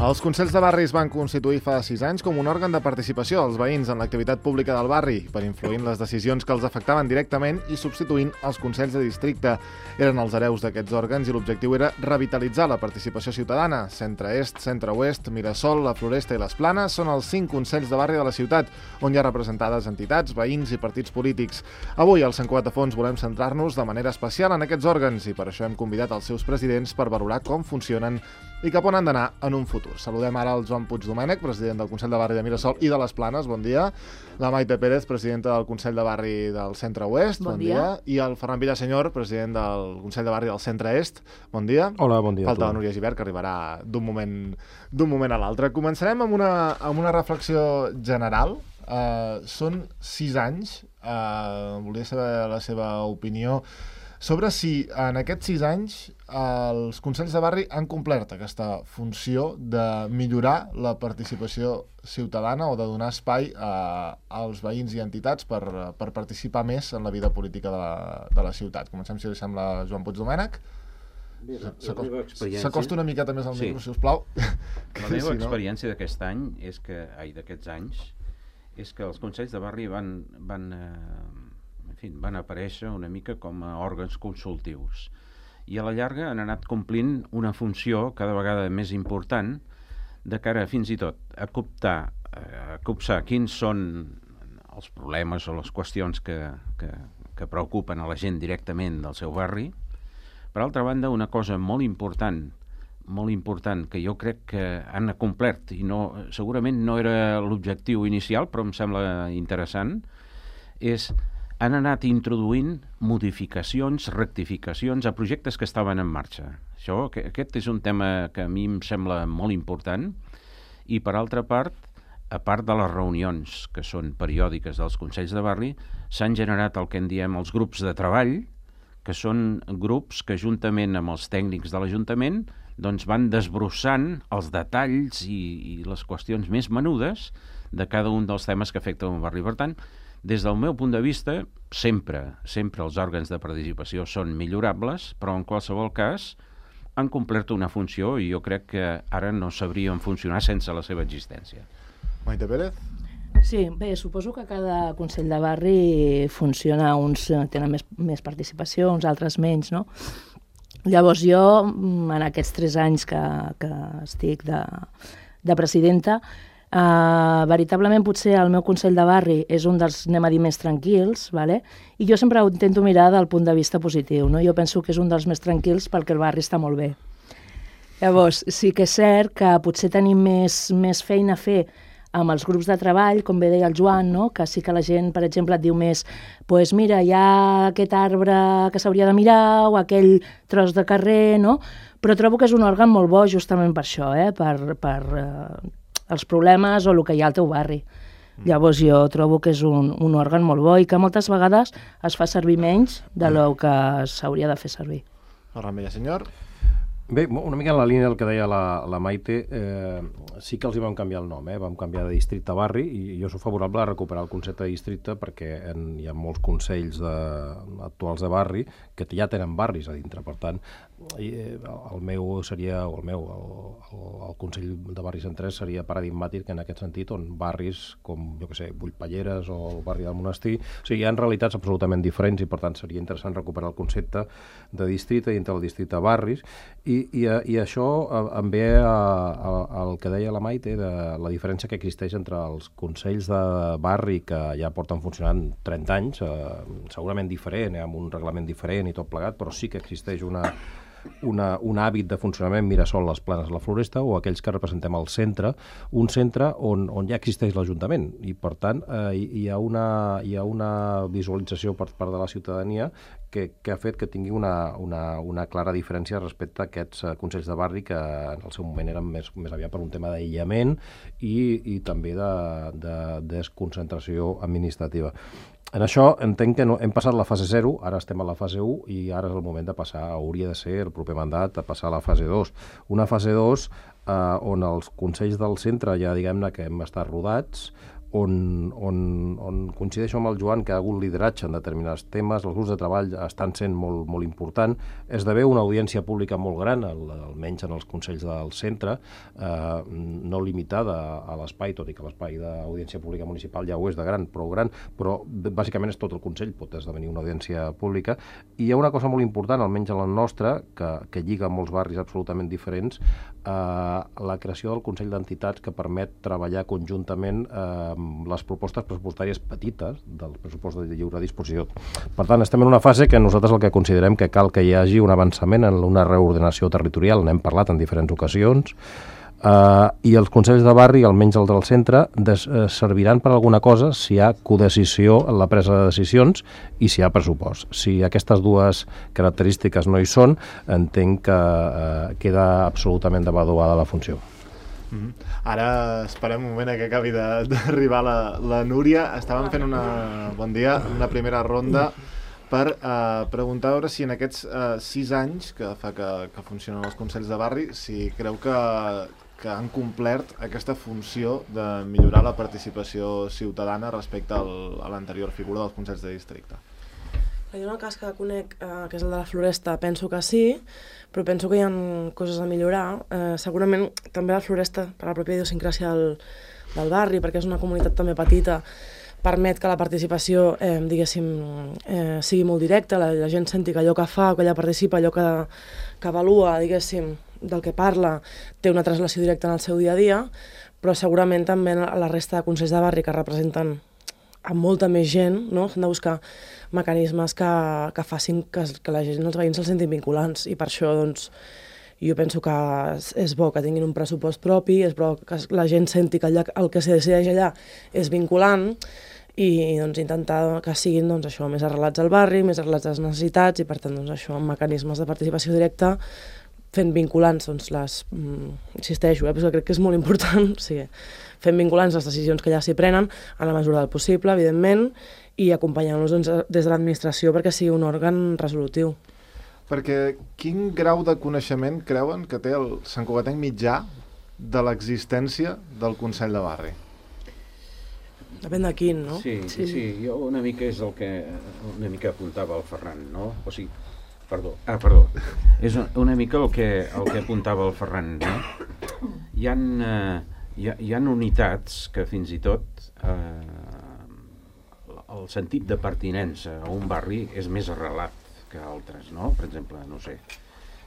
Els Consells de Barri es van constituir fa 6 anys com un òrgan de participació dels veïns en l'activitat pública del barri, per influir en les decisions que els afectaven directament i substituint els Consells de Districte. Eren els hereus d'aquests òrgans i l'objectiu era revitalitzar la participació ciutadana. Centre-Est, Centre-Oest, Mirasol, la Floresta i les Planes són els 5 Consells de Barri de la ciutat, on hi ha representades entitats, veïns i partits polítics. Avui, al Sant Cugat de Fons, volem centrar-nos de manera especial en aquests òrgans i per això hem convidat els seus presidents per valorar com funcionen i cap on han d'anar en un futur. Saludem ara el Joan Puig Domènech, president del Consell de Barri de Mirasol i de les Planes, bon dia. La Maite Pérez, presidenta del Consell de Barri del Centre-Oest, bon dia. I el Ferran Villasenyor, president del Consell de Barri del Centre-Est, bon dia. Hola, bon dia. Falta la Núria Gibert, que arribarà d'un moment a l'altre. Començarem amb una reflexió general. Són 6 anys, volia saber la seva opinió sobre si en aquests 6 anys els Consells de Barri han complert aquesta funció de millorar la participació ciutadana o de donar espai als veïns i entitats per participar més en la vida política de la ciutat. Comencem, si li sembla, Joan Puig Domènech. S'acosta una miqueta més al micro, si us plau. La meva experiència d'aquest any d'aquests anys és que els Consells de Barri van aparèixer una mica com a òrgans consultius i a la llarga han anat complint una funció cada vegada més important de cara fins i tot a copsar quins són els problemes o les qüestions que preocupen a la gent directament del seu barri. Per altra banda, una cosa molt important que jo crec que han complert i segurament no era l'objectiu inicial, però em sembla interessant, han anat introduint modificacions, rectificacions a projectes que estaven en marxa. Aquest és un tema que a mi em sembla molt important i, per altra part, a part de les reunions que són periòdiques dels Consells de Barri, s'han generat el que en diem els grups de treball, que són grups que juntament amb els tècnics de l'Ajuntament van desbrossant els detalls i les qüestions més menudes de cada un dels temes que afecten un barri. Per tant, des del meu punt de vista, sempre els òrgans de participació són millorables, però en qualsevol cas han complert una funció i jo crec que ara no sabrien funcionar sense la seva existència. Maite Pérez? Sí, bé, suposo que cada Consell de Barri funciona, uns tenen més participació, uns altres menys, no? Llavors jo, en aquests 3 anys que estic de presidenta, veritablement potser el meu Consell de Barri és un dels, anem a dir, més tranquils, vale? I jo sempre ho intento mirar del punt de vista positiu, no? Jo penso que és un dels més tranquils perquè el barri està molt bé. Llavors, sí que és cert que potser tenim més feina a fer amb els grups de treball, com bé deia el Joan, no? Que sí que la gent, per exemple, et diu més pues mira, hi ha aquest arbre que s'hauria de mirar o aquell tros de carrer, no? Però trobo que és un òrgan molt bo justament per això, per els problemes o el que hi ha al teu barri. Llavors jo trobo que és un òrgan molt bo i que moltes vegades es fa servir menys de lo que s'hauria de fer servir. Ferran Villasenyor? Bé, una mica en la línia del que deia la Maite, sí que els hi vam canviar el nom, vam canviar de districte a barri i jo soc favorable a recuperar el concepte de districte perquè hi ha molts consells actuals de barri que ja tenen barris a dintre, per tant el meu seria, el Consell de Barris en 3 seria paradigmàtic en aquest sentit, on barris com, jo què sé, Bullpalleres o el barri del Monestir, o sigui, hi ha realitats absolutament diferents i per tant seria interessant recuperar el concepte de districte i entre el districte a barris i això em ve al que deia la Maite de la diferència que existeix entre els consells de barri que ja porten funcionant 30 anys, segurament diferent, amb un reglament diferent i tot plegat, però sí que existeix un hàbit de funcionament Mirasol, les Planes, la Floresta, o aquells que representem el centre, un centre on ja existeix l'Ajuntament i per tant hi ha una visualització per part de la ciutadania que ha fet que tingui una clara diferència respecte a aquests consells de barri que en el seu moment eren més aviat per un tema d'aïllament i també de desconcentració administrativa. En això entenc que hem passat la fase 0, ara estem a la fase 1 i ara és el moment de passar, hauria de ser el proper mandat, a passar a la fase 2. Una fase 2 on els consells del centre ja diguem-ne que hem estat rodats, on coincideixo amb el Joan que hi ha hagut lideratge en determinats temes, els grups de treball estan sent molt important, esdevé una audiència pública molt gran, almenys en els consells del centre, no limitada a l'espai, tot i que l'espai d'audiència pública municipal ja ho és de gran, però bàsicament és tot el consell, pot esdevenir una audiència pública, i hi ha una cosa molt important, almenys en la nostra, que lliga molts barris absolutament diferents, la creació del Consell d'Entitats que permet treballar conjuntament les propostes pressupostàries petites del pressupost de lliure disposició. Per tant, estem en una fase que nosaltres el que considerem que cal que hi hagi un avançament en una reordenació territorial, n'hem parlat en diferents ocasions, i els consells de barri, almenys el del centre, serviran per alguna cosa si hi ha codecisió en la presa de decisions i si hi ha pressupost. Si aquestes dues característiques no hi són, entenc que queda absolutament devaluada la funció. Ara esperem un moment que acabi d'arribar la Núria. Estàvem fent una primera ronda per preguntar a veure si en aquests 6 anys que fa que funcionen els consells de barri, si creu que han complert aquesta funció de millorar la participació ciutadana respecte a l'anterior figura dels consells de districte. Hi ha un cas que conec, que és el de la Floresta, penso que sí, però penso que hi ha coses a millorar. Segurament també la Floresta, per la pròpia idiosincràsia del barri, perquè és una comunitat també petita, permet que la participació, diguéssim, sigui molt directa, la gent senti que allò que fa, que allà participa, allò que avalua, diguéssim, del que parla, té una translació directa en el seu dia a dia, però segurament també la resta de consells de barri que representen amb molta més gent, no? S'han de buscar mecanismes que facin que la gent, els veïns se'ls sentin vinculants, i per això doncs, jo penso que és bo que tinguin un pressupost propi, és bo que la gent senti que el que se decideix allà és vinculant, i doncs, intentar que siguin doncs, això, més arrelats al barri, més arrelats a les necessitats, i per tant doncs, això, amb mecanismes de participació directa, fent vinculants, doncs, insisteixo, perquè crec que és molt important, o sigui, fent vinculants les decisions que ja s'hi prenen, en la mesura del possible, evidentment, i acompanyant-los doncs, des de l'administració perquè sigui un òrgan resolutiu. Perquè quin grau de coneixement creuen que té el santcugatenc mitjà de l'existència del Consell de Barri? Depèn de quin, no? Sí, jo una mica és el que una mica apuntava el Ferran, no? O sigui, perdó. És una mica el que apuntava el Ferran, no? Hi ha unitats que fins i tot el sentit de pertinença a un barri és més arrelat que altres, no? Per exemple, no sé,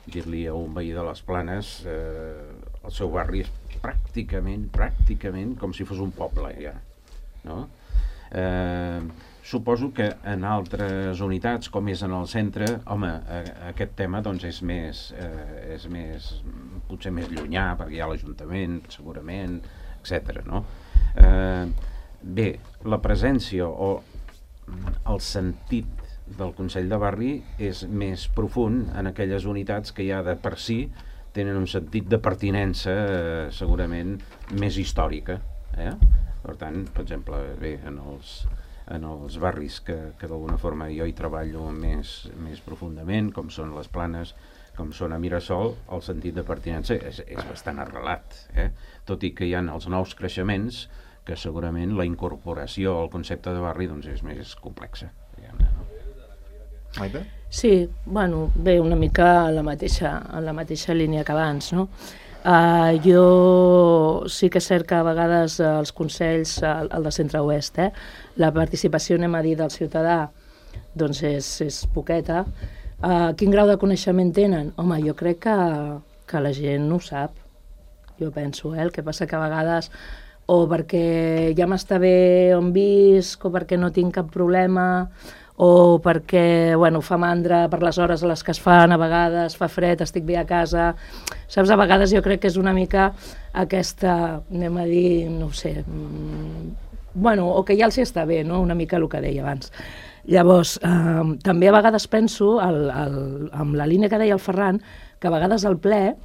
dir-li a un veí de les Planes el seu barri és pràcticament com si fos un poble, ja, no? Suposo que en altres unitats, com és en el centre, home, aquest tema doncs és més potser més llunyà, perquè hi ha l'Ajuntament, segurament, etc. No? Bé, la presència o el sentit del Consell de Barri és més profund en aquelles unitats que ja de per si tenen un sentit de pertinença segurament més històrica. Per tant, per exemple, bé, en els barris que d'alguna forma jo hi treballo més profundament, com són les Planes, com són a Mirasol, el sentit de pertinença és bastant arrelat, tot i que hi ha els nous creixements que segurament la incorporació al concepte de barri doncs, és més complexa. Maite? Sí, bueno, bé, una mica en la mateixa línia que abans, no? Jo sí que és cert que a vegades els consells, el de centre-oest, la participació, anem a dir, del ciutadà, doncs és poqueta. Quin grau de coneixement tenen? Home, jo crec que la gent no ho sap, jo penso, el que passa que a vegades o perquè ja m'està bé on visc, o perquè no tinc cap problema, o perquè fa mandra per les hores a les que es fan, a vegades fa fred, estic bé a casa. Saps, a vegades jo crec que és una mica aquesta, anem a dir, no ho sé, o que ja els hi està bé, no? Una mica el que deia abans. Llavors, també a vegades penso, amb la línia que deia el Ferran, que a vegades al ple,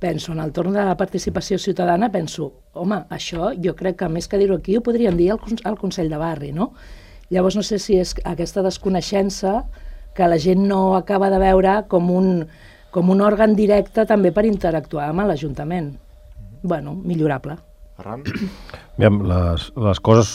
penso, en el torn de la participació ciutadana, penso, home, això jo crec que més que dir-ho aquí ho podríem dir al Consell de Barri, no? Llavors no sé si és aquesta desconeixença que la gent no acaba de veure com un òrgan directe també per interactuar amb l'Ajuntament. Millorable. Ferran? Les coses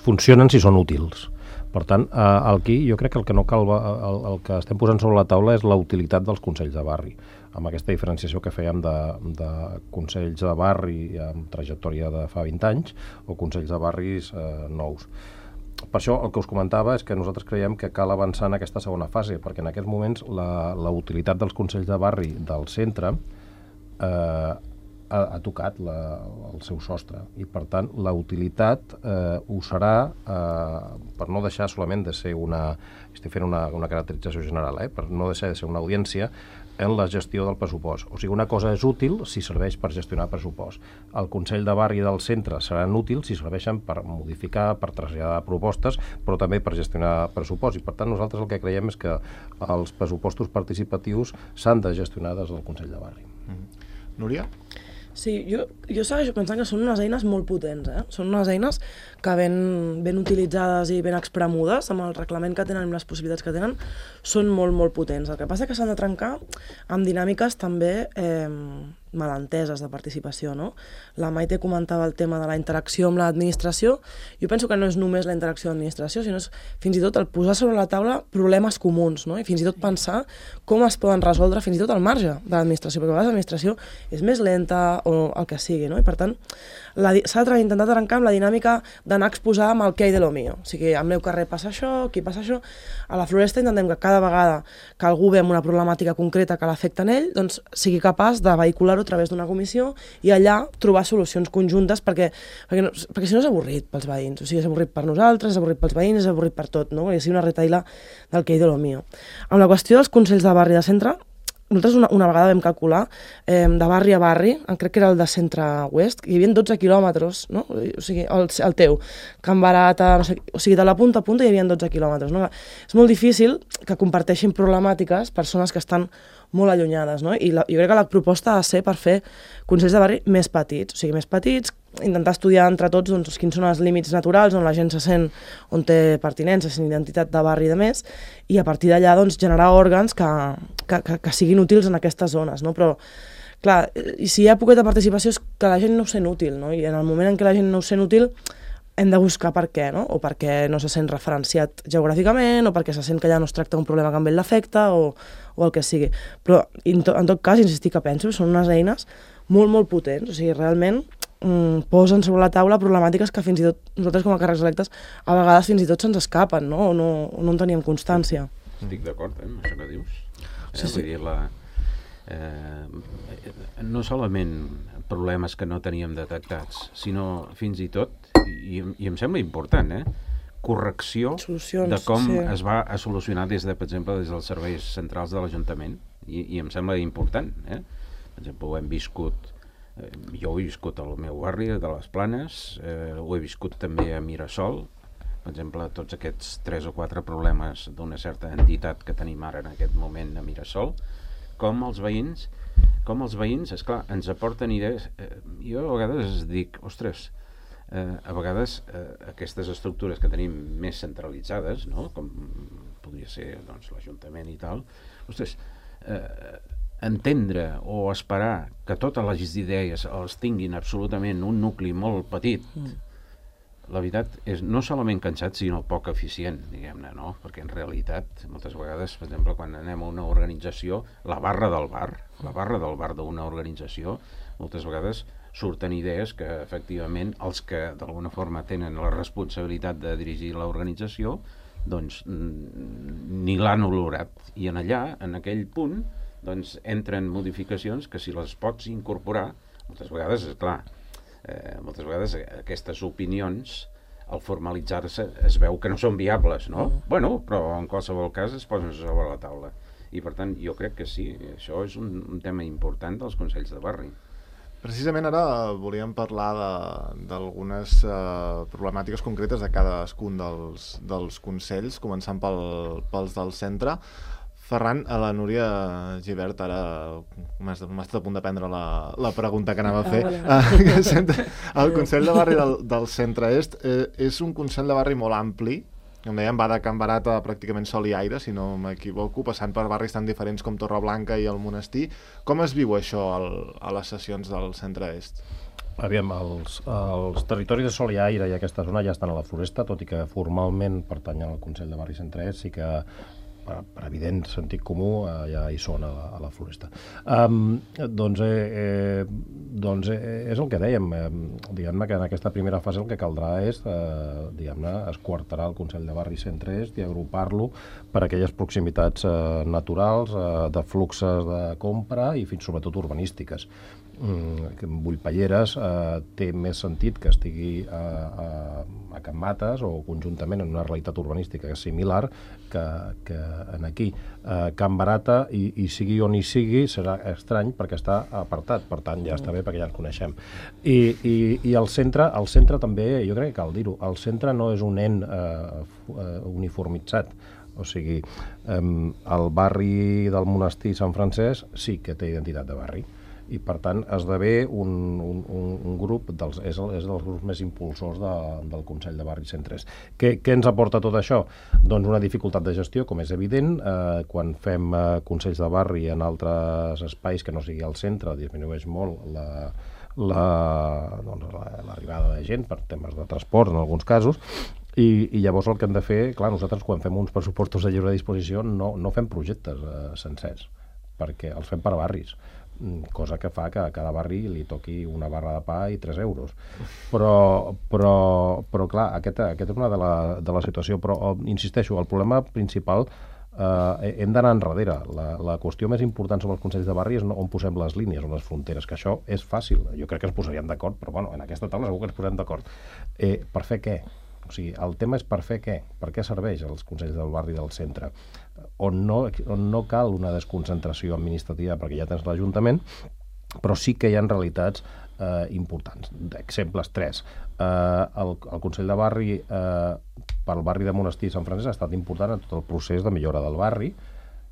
funcionen si són útils. Per tant, aquí jo crec que el que no cal, el que estem posant sobre la taula és la utilitat dels consells de barri, amb aquesta diferenciació que fèiem de consells de barri amb trajectòria de fa 20 anys o consells de barris nous. Per això el que us comentava és que nosaltres creiem que cal avançar en aquesta segona fase, perquè en aquests moments la utilitat dels consells de barri del centre ha tocat el seu sostre i per tant la utilitat ho serà, per no deixar solament de ser estic fent una caracterització general, per no deixar de ser una audiència en la gestió del pressupost. O sigui, una cosa és útil si serveix per gestionar pressupost. El Consell de Barri del centre seran útils si serveixen per modificar, per traslladar propostes, però també per gestionar pressupost. I per tant nosaltres el que creiem és que els pressupostos participatius s'han de gestionar des del Consell de Barri. Núria? Sí, jo segueixo pensant que són unes eines molt potents, Són unes eines que ben utilitzades i ben expremudes, amb el reglament que tenen i les possibilitats que tenen, són molt, molt potents. El que passa és que s'han de trencar amb dinàmiques també malenteses de participació, no? La Maite comentava el tema de la interacció amb l'administració. Jo penso que no és només la interacció amb l'administració, sinó és fins i tot el posar sobre la taula problemes comuns, no? I fins i tot pensar com es poden resoldre fins i tot al marge de l'administració, perquè a vegades l'administració és més lenta o el que sigui, no? I per tant, s'ha d'intentar trencar amb la dinàmica d'anar a exposar amb el que hi de lo mío. O sigui, al meu carrer passa això, aquí passa això. A la Floresta intentem que cada vegada que algú ve amb una problemàtica concreta que l'afecta en ell, doncs sigui capaç de vehicular-ho a través d'una comissió i allà trobar solucions conjuntes perquè si no és avorrit pels veïns, o sigui, és avorrit per nosaltres, és avorrit pels veïns, és avorrit per tot, no? Perquè sigui una retaïla del que hi de lo mío. Amb la qüestió dels consells de barri de centre, nosaltres una vegada vam calcular de barri a barri, crec que era el de centre-oest, hi havia 12 quilòmetres, no? O sigui, el teu, Can Barata, no sé, o sigui, de la punta a punta hi havia 12 quilòmetres, no? És molt difícil que comparteixin problemàtiques persones que estan molt allunyades, no? I jo crec que la proposta ha de ser per fer consells de barri més petits, o sigui, més petits, intentar estudiar entre tots doncs, quins són els límits naturals on la gent se sent, on té pertinença, sent identitat de barri i de més, i a partir d'allà doncs, generar òrgans que siguin útils en aquestes zones, no? Però, clar, i si hi ha poqueta participació és que la gent no ho sent útil, no? I en el moment en què la gent no ho sent útil hem de buscar per què, no? O perquè no se sent referenciat geogràficament, o perquè se sent que allà no es tracta un problema que amb ell l'afecta, o el que sigui. Però, en tot cas, insistir que penso que són unes eines molt, molt potents. O sigui, realment posen sobre la taula problemàtiques que fins i tot nosaltres com a càrrecs electes a vegades fins i tot se'ns escapen, no? O no en teníem constància. Estic d'acord amb això que dius. Sí. Vull dir, no solament problemes que no teníem detectats, sinó fins i tot, i em sembla important, correcció Solucions, de com sí. es va a solucionar des de, per exemple, des dels serveis centrals de l'Ajuntament, i em sembla important. Per exemple, ho hem viscut, jo ho he viscut al meu barri de les Planes, ho he viscut també a Mirasol, per exemple, tots aquests 3 o 4 problemes d'una certa entitat que tenim ara en aquest moment a Mirasol, com els veïns, esclar, ens aporten idees. Jo a vegades dic, ostres, a vegades aquestes estructures que tenim més centralitzades, no? Com podria ser doncs, l'Ajuntament i tal, ostres, entendre o esperar que totes les idees els tinguin absolutament un nucli molt petit, la veritat és no solament cansat, sinó poc eficient, diguem-ne, no? Perquè en realitat, moltes vegades, per exemple, quan anem a una organització, la barra del bar d'una organització, moltes vegades surten idees que, efectivament, els que d'alguna forma tenen la responsabilitat de dirigir l'organització, doncs ni l'han olorat. I en allà, en aquell punt, doncs entren modificacions que si les pots incorporar, moltes vegades, és clar, moltes vegades aquestes opinions, al formalitzar-se, es veu que no són viables, no? Bueno, però en qualsevol cas es posen sobre la taula. I per tant, jo crec que sí, això és un tema important dels consells de barri. Precisament ara volíem parlar d'algunes problemàtiques concretes de cadascun dels consells, començant pels del centre. Ferran, a la Núria Gibert, ara m'ha estat a punt de prendre la pregunta que anava a fer. El Consell de Barri del Centre-Est és un Consell de Barri molt ampli, com dèiem, va de Can Barata pràcticament sol i aire, si no m'equivoco, passant per barris tan diferents com Torreblanca i el Monestir. Com es viu això a les sessions del Centre-Est? Aviam, els territoris de sol i aire i aquesta zona ja estan a la Floresta, tot i que formalment pertanyen al Consell de Barri Centre Est, sí que per evident sentit comú ja hi són a la Floresta. Doncs és el que dèiem, diguem-ne que en aquesta primera fase el que caldrà és esquarterar el Consell de Barri Centre Est i agrupar-lo per aquelles proximitats naturals, de fluxes de compra i fins sobretot urbanístiques. Bullpalleres té més sentit que estigui a Can Mates o conjuntament en una realitat urbanística similar que en aquí. Can Barata, i sigui on hi sigui, serà estrany perquè està apartat, per tant ja està bé perquè ja ens coneixem. I el centre també, jo crec que cal dir-ho, el centre no és un ent uniformitzat. O sigui, el barri del monestir Sant Francesc sí que té identitat de barri, i per tant esdevé un grup, és dels grups més impulsors del Consell de Barri Centre Est. Què ens aporta tot això? Doncs una dificultat de gestió, com és evident. Quan fem consells de barri en altres espais que no sigui al centre, disminueix molt l'arribada de gent per temes de transport en alguns casos, i llavors el que hem de fer, clar, nosaltres quan fem uns pressupostos de lliure disposició no fem projectes sencers, perquè els fem per barris, cosa que fa que a cada barri li toqui una barra de pa i 3 euros. Però clar, aquesta és una de la situació. Però, insisteixo, el problema principal hem d'anar enrere. La qüestió més important sobre els consells de barri és on posem les línies, on les fronteres, que això és fàcil. Jo crec que ens posaríem d'acord, però bueno, en aquesta taula segur que ens posem d'acord. Per fer què? O sigui, el tema és per fer què? Per què serveix els consells del barri del centre? On no cal una desconcentració administrativa perquè ja tens l'Ajuntament, però sí que hi ha realitats importants. Exemples 3. El Consell de Barri pel barri de Monestir i Sant Francesc ha estat important en tot el procés de millora del barri.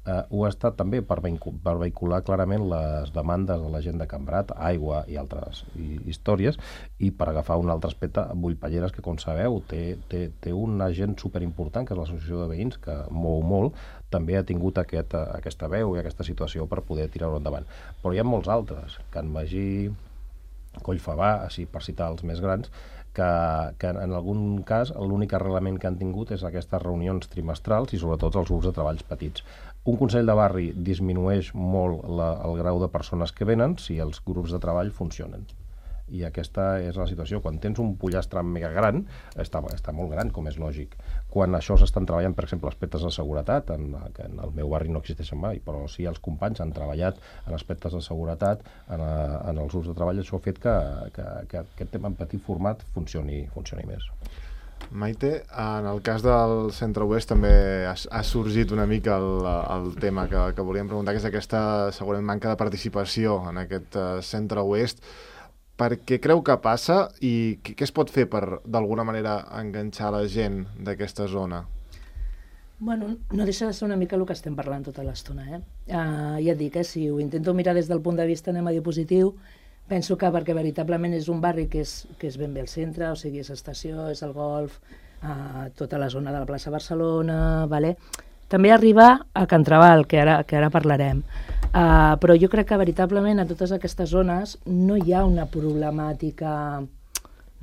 Ho ha estat també per vehicular clarament les demandes de la gent de Can Barat, aigua i altres històries, i per agafar un altre aspecte, Bullpalleres, que com sabeu té un agent superimportant, que és l'Associació de Veïns, que mou molt, també ha tingut aquesta veu i aquesta situació per poder tirar-ho endavant. Però hi ha molts altres, Can Magí, Collfabà, així per citar els més grans, que en algun cas l'únic arrelament que han tingut és aquestes reunions trimestrals i sobretot els grups de treballs petits. Un consell de barri disminueix molt el grau de persones que venen si els grups de treball funcionen. I aquesta és la situació. Quan tens un pollastre mega gran, està molt gran, com és lògic. Quan això s'estan treballant, per exemple, aspectes de seguretat, que en el meu barri no existeixen mai, però sí els companys han treballat en aspectes de seguretat, en els grups de treball, això ha fet que aquest tema en petit format funcioni més. Maite, en el cas del centre-oest també ha sorgit una mica el tema que volíem preguntar, que és aquesta segurament manca de participació en aquest centre-oest. Per què creu que passa i què es pot fer per, d'alguna manera, enganxar la gent d'aquesta zona? Bueno, no deixa de ser una mica el que estem parlant tota l'estona. Ja et dic, si ho intento mirar des del punt de vista, anem a dir positiu, penso que perquè veritablement és un barri que és ben bé al centre, o sigui, és estació, és el golf, tota la zona de la plaça Barcelona, vale? També arriba a Can Trabal, que ara parlarem. Però jo crec que veritablement a totes aquestes zones no hi ha una problemàtica,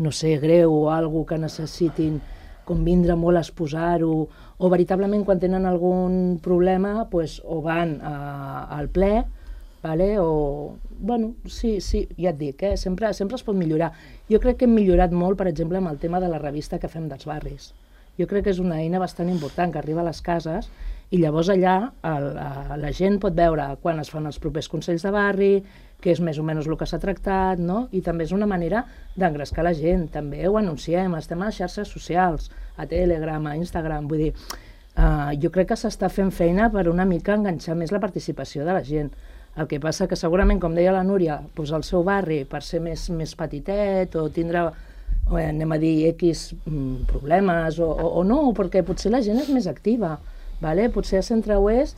no sé, greu o alguna que necessitin convindre molt a exposar-ho, o veritablement quan tenen algun problema o van al ple, vale? O, bueno, sí, ja et dic, sempre es pot millorar. Jo crec que hem millorat molt, per exemple, amb el tema de la revista que fem dels barris. Jo crec que és una eina bastant important que arriba a les cases i llavors allà la gent pot veure quan es fan els propers consells de barri, què és més o menys el que s'ha tractat, no? I també és una manera d'engrescar la gent. També ho anunciem, estem a les xarxes socials, a Telegram, a Instagram, vull dir, jo crec que s'està fent feina per una mica enganxar més la participació de la gent. El que passa que segurament, com deia la Núria, doncs el seu barri, per ser més petitet o tindre, anem a dir, X problemes o no, perquè potser la gent és més activa. Vale? Potser a centre-oest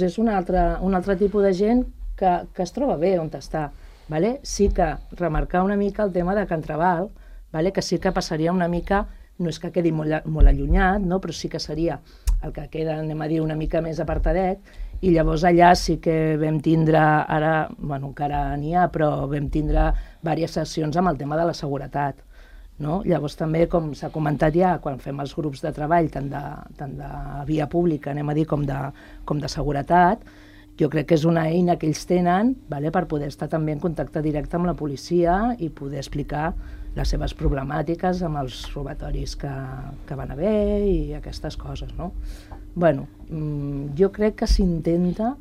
és un altre tipus de gent que es troba bé on està. Vale? Sí que remarcar una mica el tema de Can Trabal, vale? Que sí que passaria una mica, no és que quedi molt allunyat, no? Però sí que seria el que queda, anem a dir, una mica més apartadet, I llavors allà sí que vam tindre, ara, bueno, encara n'hi ha, però vam tindre diverses sessions amb el tema de la seguretat. No? Llavors també, com s'ha comentat ja, quan fem els grups de treball, tant de via pública, anem a dir, com de seguretat, jo crec que és una eina que ells tenen, vale, per poder estar també en contacte directe amb la policia i poder explicar les seves problemàtiques amb els robatoris que van haver i aquestes coses. No? Bueno, jo crec que s'intenta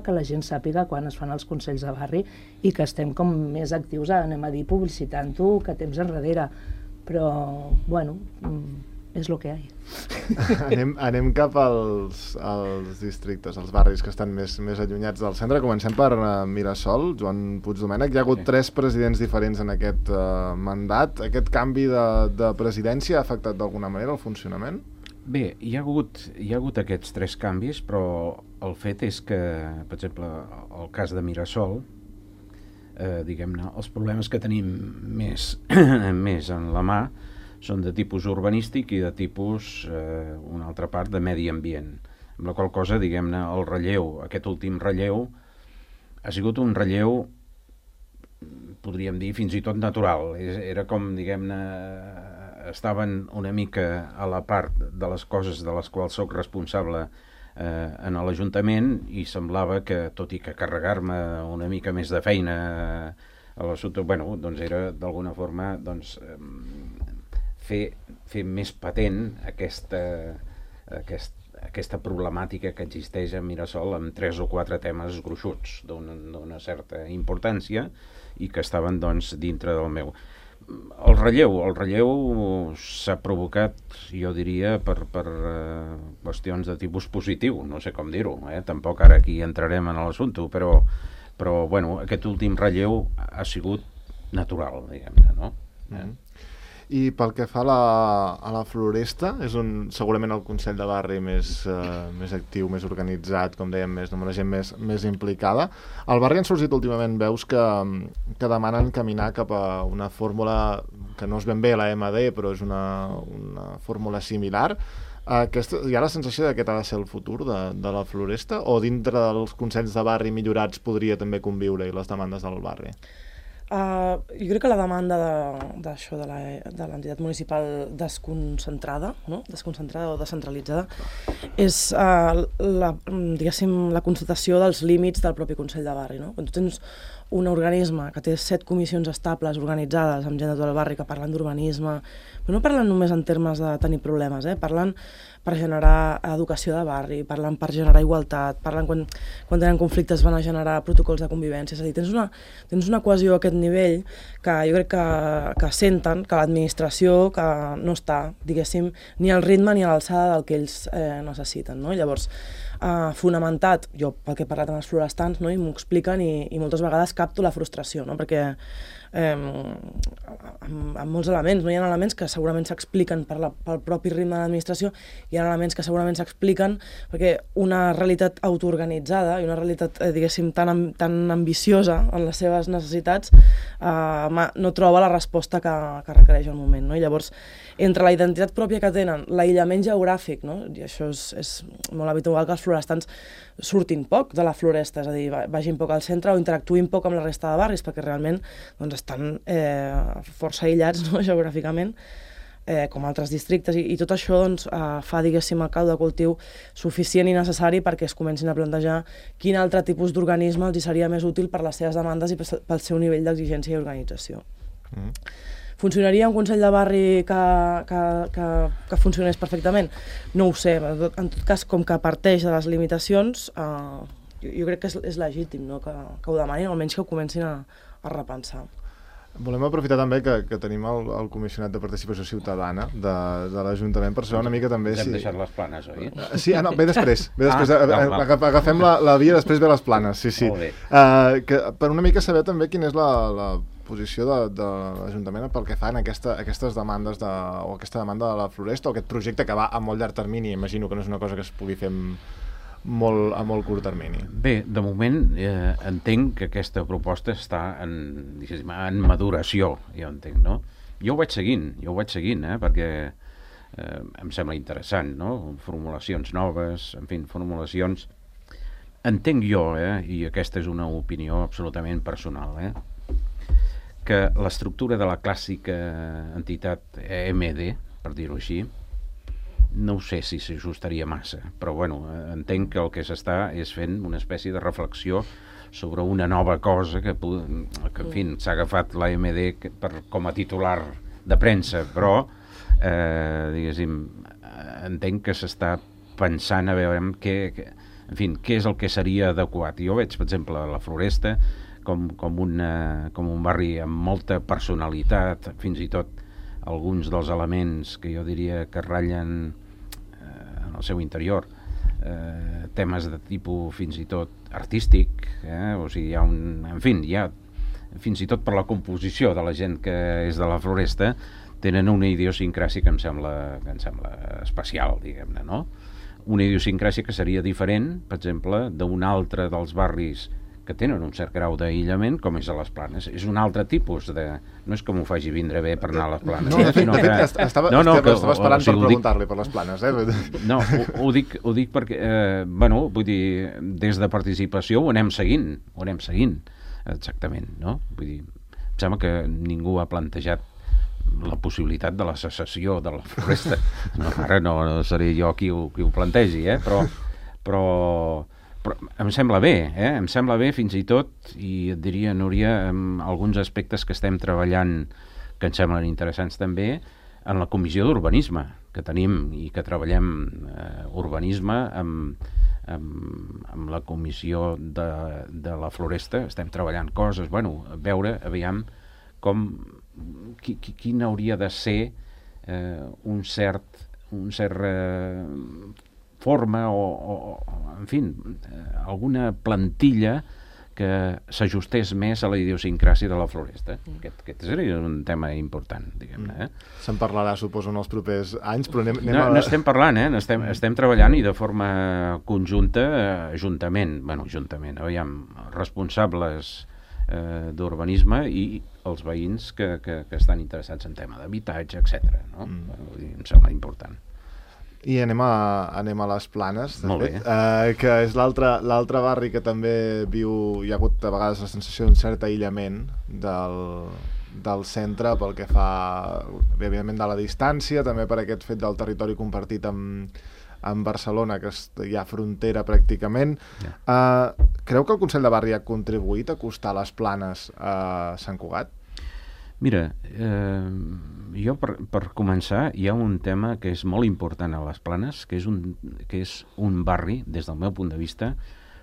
que la gent sàpiga quan es fan els consells de barri i que estem com més actius, anem a dir, publicitant-ho que temps enrere, però, bueno, és el que hi ha. Anem cap als districtes, als barris que estan més allunyats del centre. Comencem per Mirasol, Joan Puigdomènech. Hi ha hagut 3 presidents diferents en aquest mandat. Aquest canvi de presidència ha afectat d'alguna manera el funcionament? Bé, hi ha hagut aquests 3 canvis, però el fet és que, per exemple, el cas de Mirasol, diguem-ne, els problemes que tenim més en la mà són de tipus urbanístic i de tipus, una altra part, de medi ambient. Amb la qual cosa, diguem-ne, el relleu, aquest últim relleu, ha sigut un relleu, podríem dir, fins i tot natural. Era com, diguem-ne, estaven una mica a la part de les coses de les quals sóc responsable en l'Ajuntament i semblava que, tot i que carregar-me una mica més de feina a l'assumpte, bueno, doncs era d'alguna forma fer més patent aquesta problemàtica que existeix a Mirasol amb 3 o 4 temes gruixuts d'una certa importància i que estaven, doncs, dintre del meu. El relleu s'ha provocat, jo diria, per qüestions de tipus positiu, no sé com dir-ho, tampoc ara aquí entrarem en l'assumpte, però bueno, aquest últim relleu ha sigut natural, diguem-ne, no? I pel que fa a la Floresta, és segurament el Consell de Barri més actiu, més organitzat, com dèiem, amb la gent més implicada. Al barri han sorgit últimament veus que demanen caminar cap a una fórmula que no és ben bé la MD, però és una fórmula similar. Hi ha la sensació que aquest ha de ser el futur de la Floresta, o dintre dels consells de barri millorats podria també conviure i les demandes del barri? Jo crec que la demanda d'això de l'entitat municipal desconcentrada, no? Desconcentrada o descentralitzada, és diguéssim, la constatació dels límits del propi Consell de Barri. No? Quan tu tens un organisme que té 7 comissions estables organitzades amb gent de tot el barri que parlen d'urbanisme, però no parlen només en termes de tenir problemes, parlen per generar educació de barri, parlen per generar igualtat, parlen quan tenen conflictes van a generar protocols de convivència, és a dir, tens una cohesió a aquest nivell que jo crec que senten que l'administració que no està, diguéssim, ni al ritme ni a l'alçada del que ells necessiten, no? Llavors, fonamentat, jo pel que he parlat amb els florestans, no? I m'ho expliquen i moltes vegades capto la frustració, no? Perquè amb molts elements, no? Hi ha elements que segurament s'expliquen pel propi ritme de l'administració, hi ha elements que segurament s'expliquen perquè una realitat autoorganitzada i una realitat, diguéssim, tan ambiciosa en les seves necessitats no troba la resposta que requereix el moment, no? I llavors, entre la identitat pròpia que tenen, l'aïllament geogràfic, no? I això és molt habitual que els florestans surtin poc de la floresta, és a dir, vagin poc al centre o interactuïn poc amb la resta de barris, perquè realment doncs, estan força aïllats, no? Geogràficament, com altres districtes, i tot això doncs, fa, diguéssim, el caldo de cultiu suficient i necessari perquè es comencin a plantejar quin altre tipus d'organisme els seria més útil per les seves demandes i pel seu nivell d'exigència i organització. Funcionaria un Consell de Barri que funcionés perfectament? No ho sé, en tot cas, com que parteix de les limitacions, jo crec que és legítim, no? Que ho demanin, almenys que ho comencin a repensar. Volem aprofitar també que tenim el comissionat de participació ciutadana de l'Ajuntament per saber una mica també si... Hem deixat les planes, oi? Sí, no, ve després. Agafem la via, després ve les planes, sí. Molt bé. Per una mica saber també quina és la posició de l'Ajuntament pel que fan aquestes demandes o aquesta demanda de la Floresta o aquest projecte que va a molt llarg termini. Imagino que no és una cosa que es pugui fer a molt curt termini. Bé, de moment entenc que aquesta proposta està en maduració, jo entenc, no? Jo ho vaig seguint, perquè em sembla interessant, no? Formulacions noves, en fi, formulacions entenc jo, i aquesta és una opinió absolutament personal, que l'estructura de la clàssica entitat EMD, per dir-ho així, no ho sé si s'ajustaria massa, però bueno, entenc que el que s'està és fent una espècie de reflexió sobre una nova cosa que en fi, s'ha agafat l'AMD com a titular de premsa, però diguéssim, entenc que s'està pensant a veure en fi, què és el que seria adequat. Jo veig, per exemple, la Floresta com un barri amb molta personalitat, fins i tot alguns dels elements que jo diria que ratllen en el seu interior temes de tipus fins i tot artístic, o sigui, hi ha fins i tot per la composició de la gent que és de la Floresta, tenen una idiosincràsia que em sembla especial, diguem-ne, no? Una idiosincràsia que seria diferent, per exemple, d'un altre dels barris que tenen un cert grau d'aïllament, com és a les Planes. És un altre tipus de... No és que m'ho faci vindre bé per anar a les Planes. No, de fet, estava esperant per preguntar-li per les Planes. No, ho dic perquè, vull dir, des de participació ho anem seguint, exactament, no? Vull dir, em sembla que ningú ha plantejat la possibilitat de la secessió de la Floresta. No, ara no seré jo qui ho plantegi, però em sembla bé fins i tot, i et diria, Núria, alguns aspectes que estem treballant que ens semblen interessants també en la comissió d'urbanisme que tenim i que treballem urbanisme amb la comissió de la Floresta. Estem treballant coses, veure, aviam quin hauria de ser un cert forma o en fi, alguna plantilla que s'ajustés més a la idiosincràsia de la Floresta. Aquest seria un tema important, diguem-ne. Se'n parlarà, suposo, en els propers anys, però no estem parlant, estem treballant i de forma conjunta, juntament, aviam, responsables d'urbanisme i els veïns que estan interessats en tema d'habitatge, etc. No? Em sembla important. I anem a les Planes, de Molt fet, bé. Que és l'altre barri que també viu, hi ha hagut a vegades la sensació d'un cert aïllament del centre pel que fa, evidentment, de la distància, també per aquest fet del territori compartit amb Barcelona, que hi ha frontera pràcticament. Creu que el Consell de Barri ha contribuït a acostar les Planes a Sant Cugat? Mira, jo per començar hi ha un tema que és molt important a les Planes, que és un barri, des del meu punt de vista,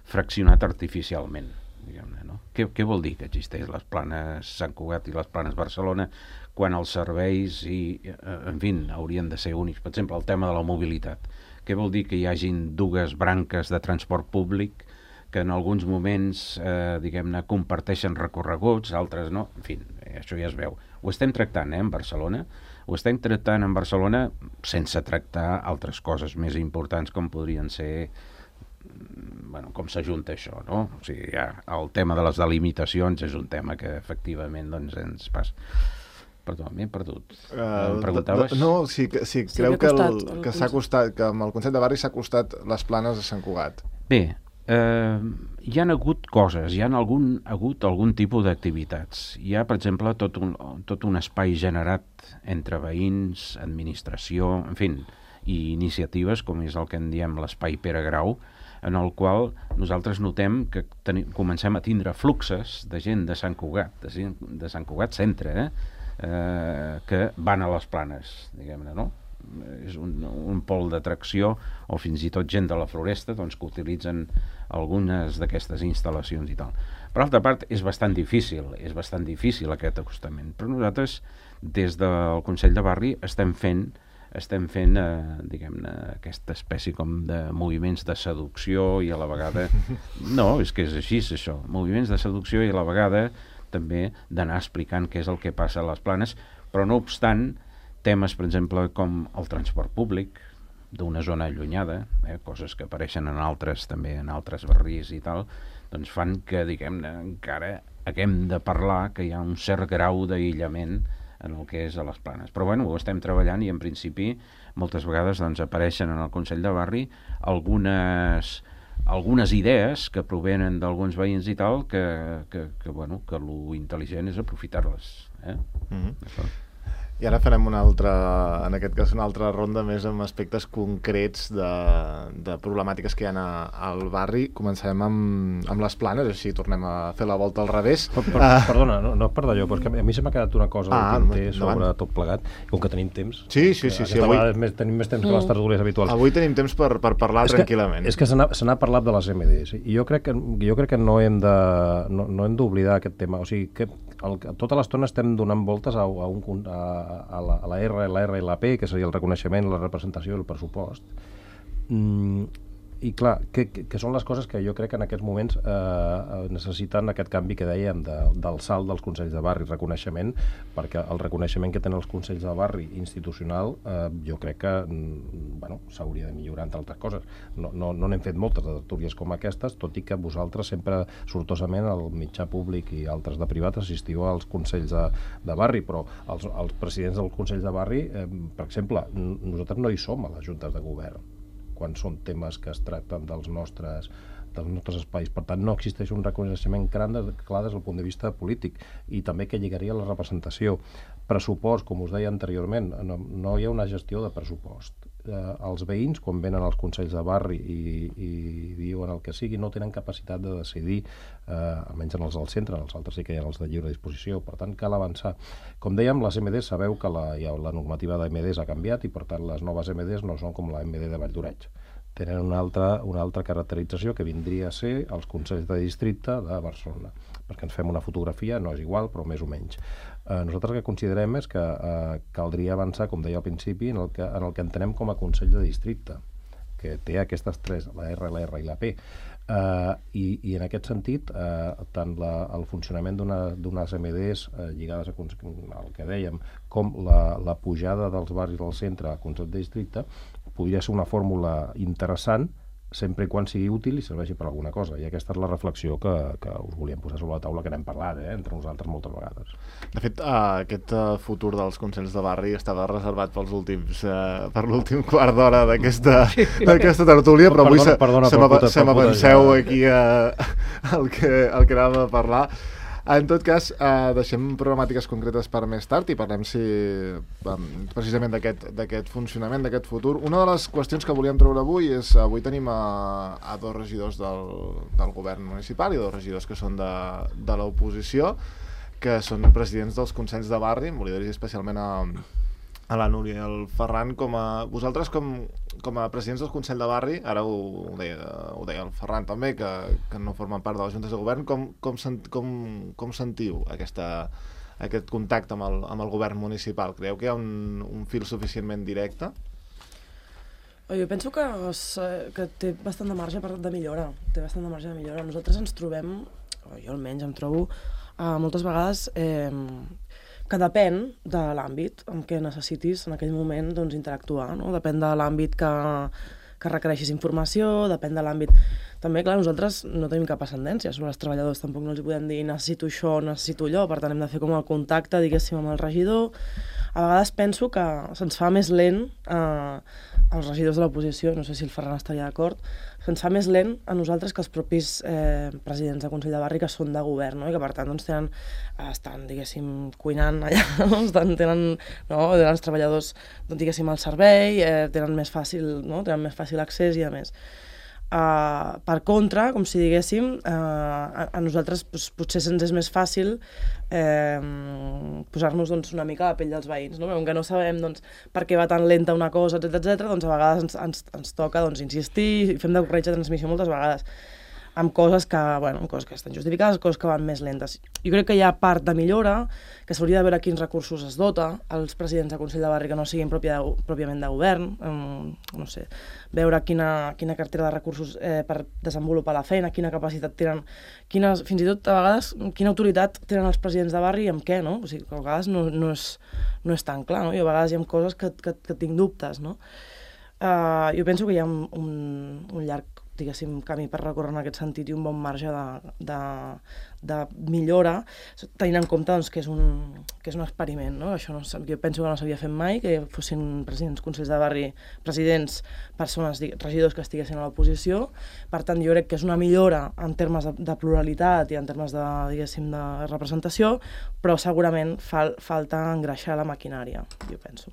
fraccionat artificialment, diguem-ne, no? Què vol dir que existeix les Planes Sant Cugat i les Planes Barcelona quan els serveis en fi, haurien de ser únics? Per exemple, el tema de la mobilitat. Què vol dir que hi hagin dues branques de transport públic que en alguns moments, diguem-ne, comparteixen recorreguts, altres no? En fi, això ja es veu. Ho estem tractant, en Barcelona. Ho estem tractant en Barcelona sense tractar altres coses més importants com podrien ser, com s'ajunta això, no? O sigui, el tema de les delimitacions és un tema que efectivament ens passa. Perdó, m'he perdut. Em preguntaves? No, si creu que s'ha acostat, que amb el Consell de Barri s'ha acostat les Planes a Sant Cugat. Bé, hi ha hagut coses, hi ha hagut algun tipus d'activitats. Hi ha, per exemple, tot un espai generat entre veïns, administració, en fi, i iniciatives, com és el que en diem l'espai Pere Grau, en el qual nosaltres notem que comencem a tindre fluxes de gent de Sant Cugat, de Sant Cugat centre, que van a les Planes, diguem-ne, no? És un pol d'atracció, o fins i tot gent de la Floresta, doncs, que utilitzen algunes d'aquestes instal·lacions i tal. Per altra part, és bastant difícil aquest acostament, però nosaltres des del Consell de Barri estem fent diguem-ne, aquesta espècie com de moviments de seducció i a la vegada... No, és que és així, és això. Moviments de seducció i a la vegada també d'anar explicant què és el que passa a les Planes, però no obstant, temes, per exemple, com el transport públic d'una zona allunyada, coses que apareixen en altres barris i tal, doncs fan que, diguem-ne, encara haguem de parlar que hi ha un cert grau d'aïllament en el que és a les Planes. Però ho estem treballant i en principi moltes vegades doncs, apareixen en el Consell de Barri algunes algunes idees que provenen d'alguns veïns i tal, que lo intel·ligent és aprofitar-les. I ara farem en aquest cas una altra ronda més amb aspectes concrets de problemàtiques que hi ha al barri. Començarem amb les Planes, així tornem a fer la volta al revés. Perdona, no per d'allò, però és que a mi se m'ha quedat una cosa del tinter sobre tot plegat, com que tenim temps. Sí. Tenim més temps que les tertúlies habituals. Avui tenim temps per parlar tranquil·lament. És que se n'ha parlat de les MDs, i jo crec que no hem d'oblidar aquest tema. O sigui, que tota l'estona estem donant voltes a la R, la R i la P, que seria el reconeixement, la representació i el pressupost. I clar, que són les coses que jo crec que en aquests moments necessiten aquest canvi que dèiem del salt dels Consells de Barri, reconeixement, perquè el reconeixement que tenen els Consells de Barri institucional jo crec que s'hauria de millorar, entre altres coses. No n'hem fet moltes de tertúlies com aquestes, tot i que vosaltres sempre sortosament al mitjà públic i altres de privat assistiu als Consells de Barri, però els presidents dels Consells de Barri, per exemple, nosaltres no hi som a les juntes de govern quan són temes que es tracten dels nostres espais. Per tant, no existeix un reconeixement clar des del punt de vista polític, i també que lligaria la representació. Pressupost, com us deia anteriorment, no hi ha una gestió de pressupost. Els veïns, quan venen als Consells de Barri i diuen el que sigui, no tenen capacitat de decidir, almenys en els del centre, en els altres sí que hi ha els de lliure disposició, per tant cal avançar. Com dèiem, les MDs, sabeu que la normativa de MDs ha canviat, i per tant les noves MDs no són com la MD de Valldoreix. Tenen una altra caracterització que vindria a ser els Consells de Districte de Barcelona, perquè ens fem una fotografia, no és igual, però més o menys. Nosaltres el que considerem és que caldria avançar, com deia al principi, en el que entenem com a Consell de Districte, que té aquestes tres, la R, la R i la P. I en aquest sentit, tant el funcionament d'unes MDs lligades al que dèiem, com la pujada dels barris del centre al Consell de Districte, podria ser una fórmula interessant, sempre i quan sigui útil i serveixi per alguna cosa. I aquesta és la reflexió que us volíem posar sobre la taula, que n'hem parlat entre nosaltres moltes vegades. De fet, aquest futur dels Consells de Barri estava reservat per l'últim quart d'hora d'aquesta tertúlia, però avui se m'avanceu aquí el que anàvem a parlar. En tot cas, deixem problemàtiques concretes per més tard i parlem precisament d'aquest funcionament, d'aquest futur. Una de les qüestions que volíem treure avui és, avui tenim a dos regidors del govern municipal i dos regidors que són de l'oposició, que són presidents dels Consells de Barri. Em volia dir especialment a la Núria i al Ferran, vosaltres com a presidents del Consell de Barri, ara ho deia el Ferran també, que no formen part de les juntes de govern, com sentiu aquest contacte amb el govern municipal? Creieu que hi ha un fil suficientment directe? Jo penso que té bastant de marge de millora. Nosaltres ens trobem, jo almenys em trobo, moltes vegades que depèn de l'àmbit en què necessitis en aquell moment interactuar, no? Depèn de l'àmbit que requereixis informació, depèn de l'àmbit... També, clar, nosaltres no tenim cap ascendència sobre els treballadors, tampoc no els podem dir necessito això, necessito allò, per tant hem de fer com el contacte, diguéssim, amb el regidor. A vegades penso que se'ns fa més lent als regidors de l'oposició, no sé si el Ferran estaria d'acord, se'ns fa més lent a nosaltres que els propis presidents de Consell de Barri que són de govern, no? I que per tant estan, diguéssim, cuinant allà, tenen els treballadors, diguéssim, al servei, tenen més fàcil accés i a més. Per contra, com si diguéssim, a nosaltres potser se'ns és més fàcil posar-nos una mica a la pell dels veïns, no? Com que no sabem per què va tan lenta una cosa, etc. A vegades ens toca insistir i fem de corretja de transmissió moltes vegades amb coses que estan justificades, coses que van més lentes. Jo crec que hi ha part de millora, que s'hauria de veure quins recursos es dota als presidents de Consell de Barri que no siguin pròpiament de govern, no sé, veure quina cartera de recursos per desenvolupar la feina, quina capacitat tenen, fins i tot a vegades quina autoritat tenen els presidents de barri i amb què, no? O sigui, que a vegades no és tan clar, no? I a vegades hi ha coses que tinc dubtes, no? Jo penso que hi ha un llarg diguéssim, camí per recórrer en aquest sentit i un bon marge de millora, tenint en compte doncs, que és un experiment, no? Això jo penso que no s'havia fet mai, que fossin presidents, consells de barri, presidents, persones, regidors que estiguessin a l'oposició. Per tant, jo crec que és una millora en termes de pluralitat i en termes de, diguéssim, de representació, però segurament falta engreixar la maquinària, jo penso.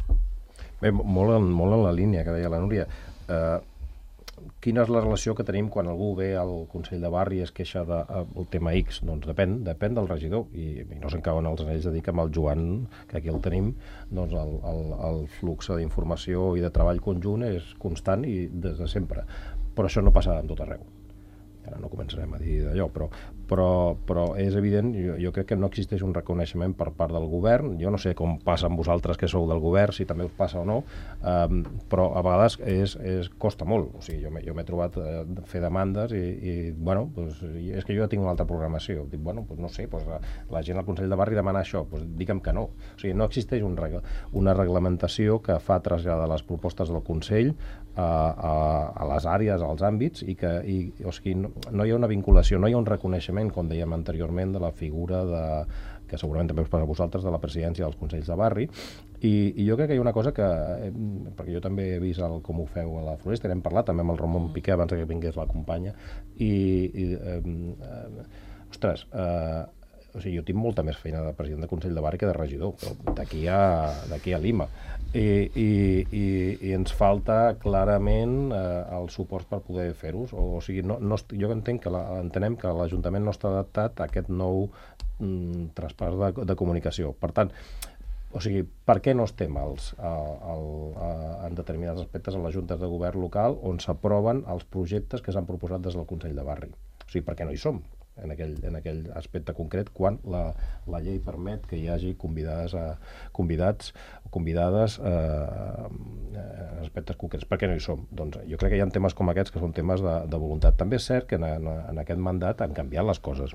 Bé, molt en la línia que deia la Núria. Quina és la relació que tenim quan algú ve al Consell de Barri i es queixa del tema X? Doncs depèn del regidor, i no se'n cauen els anells de dir que amb el Joan, que aquí el tenim, doncs el flux d'informació i de treball conjunt és constant i des de sempre. Però això no passa en tot arreu. Ara no començarem a dir d'allò, però és evident, jo crec que no existeix un reconeixement per part del govern. Jo no sé com passa amb vosaltres que sou del govern, si també us passa o no, però a vegades costa molt. O sigui, jo m'he trobat fer demandes i bueno, doncs, és que jo ja tinc una altra programació. Dic, bueno, doncs no sé, doncs la gent al Consell de Barri demana això, doncs digue'm que no. O sigui, no existeix una reglamentació que fa traslladar les propostes del Consell a les àrees, als àmbits, o sigui, no hi ha una vinculació, no hi ha un reconeixement, com dèiem anteriorment, de la figura que segurament també us passa a vosaltres, de la presidència dels Consells de Barri, i jo crec que hi ha una cosa que, perquè jo també he vist com ho feu a la Floresta, n'hem parlat també amb el Ramon Piqué abans que vingués la companya, ostres, o sigui, jo tinc molta més feina de president de Consell de Barri que de regidor, però d'aquí a Lima. I ens falta clarament el suport per poder fer-ho. O sigui, jo entenem que l'Ajuntament no està adaptat a aquest nou traspàs de comunicació. Per tant, o sigui, per què no estem en determinats aspectes a les juntes de govern local on s'aproven els projectes que s'han proposat des del Consell de Barri? O sigui, per què no hi som en aquell aspecte concret quan la llei permet que hi hagi convidats o convidades en aspectes concrets? Per què no hi som? Doncs jo crec que hi ha temes com aquests que són temes de voluntat. També és cert que en aquest mandat han canviat les coses.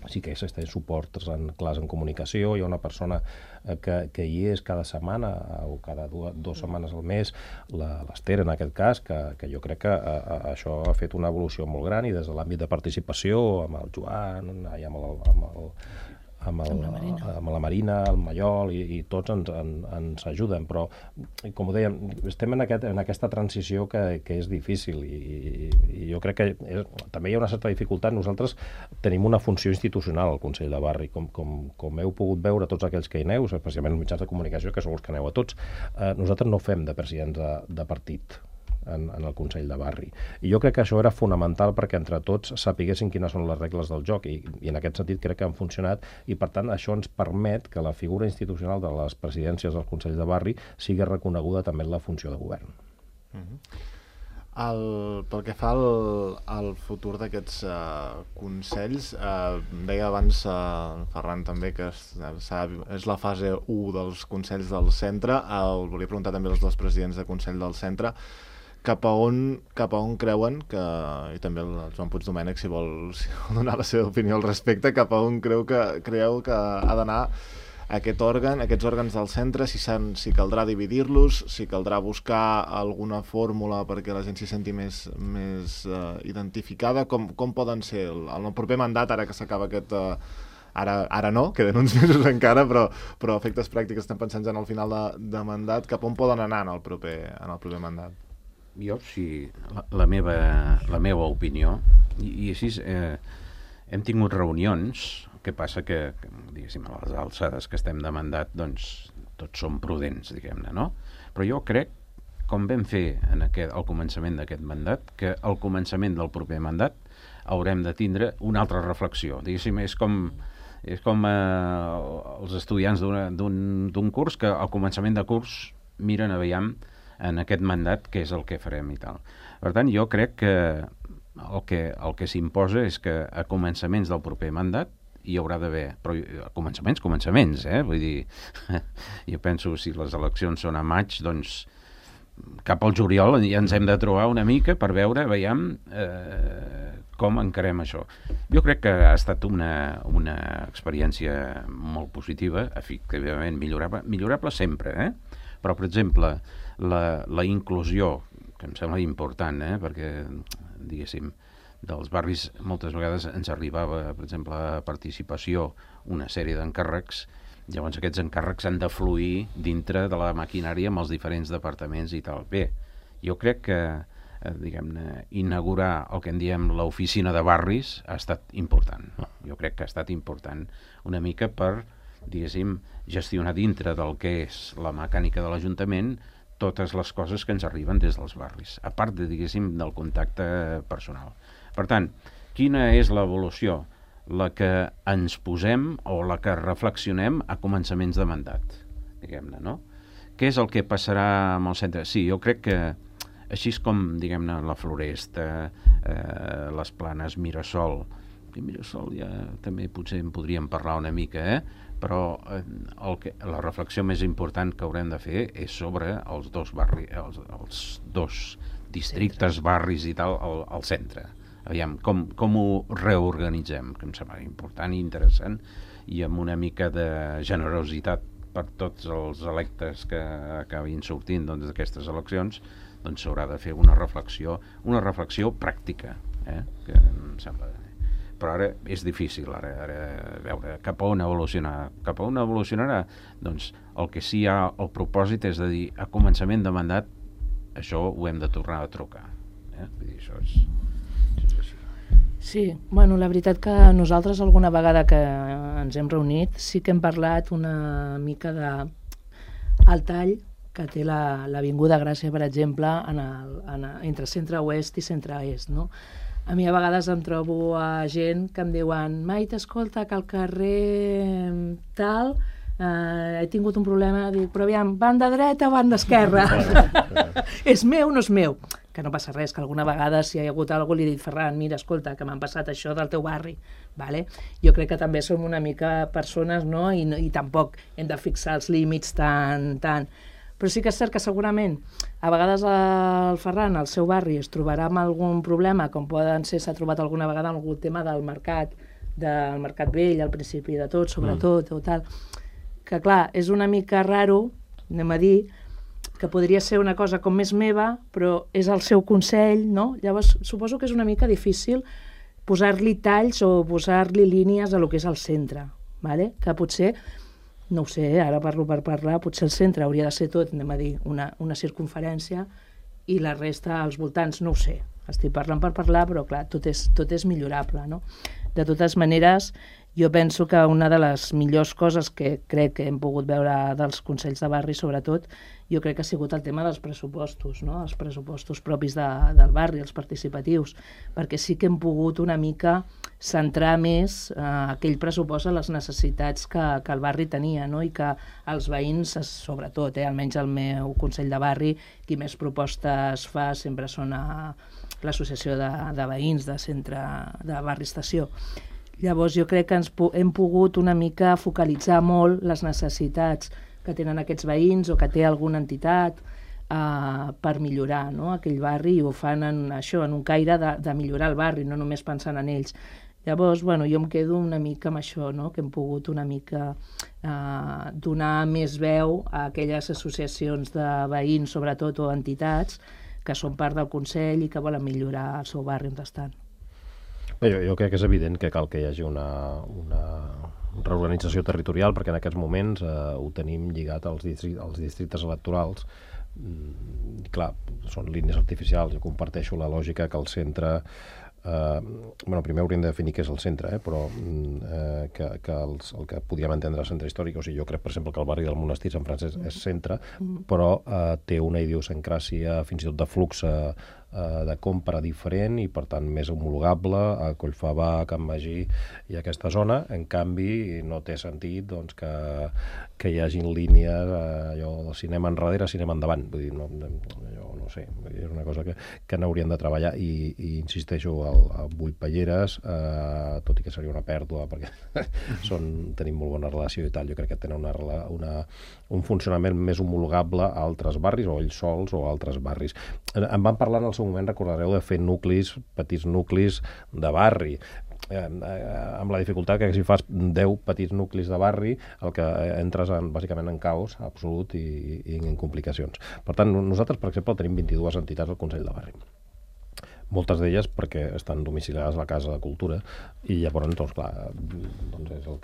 Sí que existeix suports clars en comunicació, hi ha una persona que hi és cada setmana o cada dues setmanes al mes, l'Ester en aquest cas, que jo crec que això ha fet una evolució molt gran i des de l'àmbit de participació amb el Joan, amb la Marina, el Mallol i tots ens ajuden, però com ho dèiem, estem en aquesta transició que és difícil i jo crec que també hi ha una certa dificultat. Nosaltres tenim una funció institucional al Consell de Barri, com heu pogut veure tots aquells que hi aneu, especialment els mitjans de comunicació, que sou els que aneu a tots. Nosaltres no fem de presidents de partit en el Consell de Barri. I jo crec que això era fonamental perquè entre tots sapiguessin quines són les regles del joc i en aquest sentit crec que han funcionat i per tant això ens permet que la figura institucional de les presidències dels Consells de Barri sigui reconeguda també en la funció de govern. Pel que fa al futur d'aquests consells, deia abans Ferran també que és la fase 1 dels consells del centre. Volia preguntar també als dos presidents de Consell del Centre cap a on creuen que, i també el Joan Puigdomènech si vol donar la seva opinió al respecte, cap a on creu que ha d'anar aquests òrgans del centre, si caldrà dividir-los, si caldrà buscar alguna fórmula perquè la gent s'hi senti més identificada, com poden ser el proper mandat, ara que s'acaba aquest... Ara no, queden uns mesos encara, però a efectes pràctics estem pensant ja en el final de mandat, cap on poden anar en el proper mandat? Jo, sí, la meva opinió, i així hem tingut reunions, que passa que diguéssim, a les alçades que estem de mandat, doncs tots som prudents, diguem-ne, no? Però jo crec, com vam fer al començament d'aquest mandat, que al començament del proper mandat haurem de tindre una altra reflexió. Diguéssim, és com els estudiants d'un curs que al començament de curs miren a veure en aquest mandat què és el que farem i tal. Per tant, jo crec que el que s'imposa és que a començaments del proper mandat hi haurà d'haver, però a començaments, vull dir, jo penso si les eleccions són a maig, doncs cap al juliol ja ens hem de trobar una mica per veure, veiem com encarem això. Jo crec que ha estat una experiència molt positiva, efectivament millorable sempre, però per exemple la inclusió, que em sembla important, perquè diguéssim, dels barris, moltes vegades ens arribava, per exemple, a participació una sèrie d'encàrrecs. Llavors aquests encàrrecs han de fluir dintre de la maquinària amb els diferents departaments i tal. Bé, jo crec que diguem-ne, inaugurar el que en diem l'oficina de barris ha estat important. Jo crec que ha estat important una mica per, diguéssim, gestionar dintre del que és la mecànica de l'Ajuntament totes les coses que ens arriben des dels barris, a part de, diguéssim, del contacte personal. Per tant, quina és l'evolució? La que ens posem o la que reflexionem a començaments de mandat, diguem-ne, no? Què és el que passarà amb el centre? Sí, jo crec que així com, diguem-ne, la Floresta, les Planes, Mirasol, i Mirasol ja també potser en podríem parlar una mica, però la reflexió més important que haurem de fer és sobre els dos barris, els dos districtes, barris i tal, al centre. Aviam, com ho reorganitzem, que em sembla important i interessant, i amb una mica de generositat per tots els electes que acabin sortint d'aquestes eleccions, doncs s'haurà de fer una reflexió pràctica, que em sembla. Però ara és difícil, ara veure cap a on evolucionarà. Cap a on evolucionarà? Doncs el que sí hi ha el propòsit és de dir, a començament de mandat, això ho hem de tornar a trucar. Vull dir, això és així. Sí, bueno, la veritat que nosaltres alguna vegada que ens hem reunit sí que hem parlat una mica del tall que té l'Avinguda Gràcia, per exemple, entre centre-oest i centre-est, no? A mi a vegades em trobo a gent que em diuen Maite, escolta, que al carrer tal he tingut un problema, dic, però aviam, banda dreta o banda esquerra? És meu o no és meu? Que no passa res, que alguna vegada si hi ha hagut algú li he dit, Ferran, mira, escolta, que m'han passat això del teu barri, vale? Jo crec que també som una mica persones, no? I tampoc hem de fixar els límits tant. Però sí que és cert que segurament a vegades el Ferran, al seu barri, es trobarà amb algun problema, com poden ser, s'ha trobat alguna vegada algun tema del mercat vell, al principi de tot, sobretot, o tal, que clar, és una mica raro, anem a dir, que podria ser una cosa com més meva, però és el seu consell, no? Llavors, suposo que és una mica difícil posar-li talls o posar-li línies a lo que és el centre, vale? Que potser, no ho sé, ara parlo per parlar, potser el centre hauria de ser tot, anem a dir, una circunferència i la resta als voltants, no ho sé. Estic parlant per parlar, però clar, tot és millorable, no? De totes maneres, jo penso que una de les millors coses que crec que hem pogut veure dels Consells de Barri, sobretot, jo crec que ha sigut el tema dels pressupostos, no? Els pressupostos propis del barri, els participatius, perquè sí que hem pogut una mica centrar més aquell pressupost a les necessitats que el barri tenia, no? I que els veïns, sobretot, almenys el meu Consell de Barri, qui més propostes fa sempre són l'associació de veïns de centre de barri estació. Llavors jo crec que hem pogut una mica focalitzar molt les necessitats que tenen aquests veïns o que té alguna entitat per millorar, no? Aquell barri, i ho fan en un caire de millorar el barri, no només pensant en ells. Llavors, bueno, jo em quedo una mica amb això, no? Que hem pogut una mica donar més veu a aquelles associacions de veïns, sobretot, o entitats, que són part del Consell i que volen millorar el seu barri on estan. Jo crec que és evident que cal que hi hagi una reorganització territorial, perquè en aquests moments ho tenim lligat als districtes electorals. Clar, són línies artificials. Jo comparteixo la lògica que el centre... primer hauríem de definir què és el centre, però que el que podíem entendre centre històric, o sigui, jo crec, per exemple, que el barri del Monestir Sant Francesc és centre, però té una idiosincràsia fins i tot de flux de compra diferent i per tant més homologable a Collfabà, Can Magí i aquesta zona. En canvi no té sentit doncs, que hi hagin línies allò de cinema enrere, cinema endavant. Vull dir, jo no sé, és una cosa que n'hauríem de treballar i insisteixo, a Buitpelleres, tot i que seria una pèrdua perquè tenim molt bona relació i tal, jo crec que tenen un funcionament més homologable a altres barris o ells sols o a altres barris. En van parlar en el seu moment, recordareu, de fer petits nuclis de barri, amb la dificultat que si fas 10 petits nuclis de barri el que entres bàsicament en caos absolut i en complicacions. Per tant, nosaltres, per exemple, tenim 22 entitats al Consell de Barri. moltes d'elles perquè estan domiciliades a la Casa de Cultura i llavors, doncs, clar, doncs és el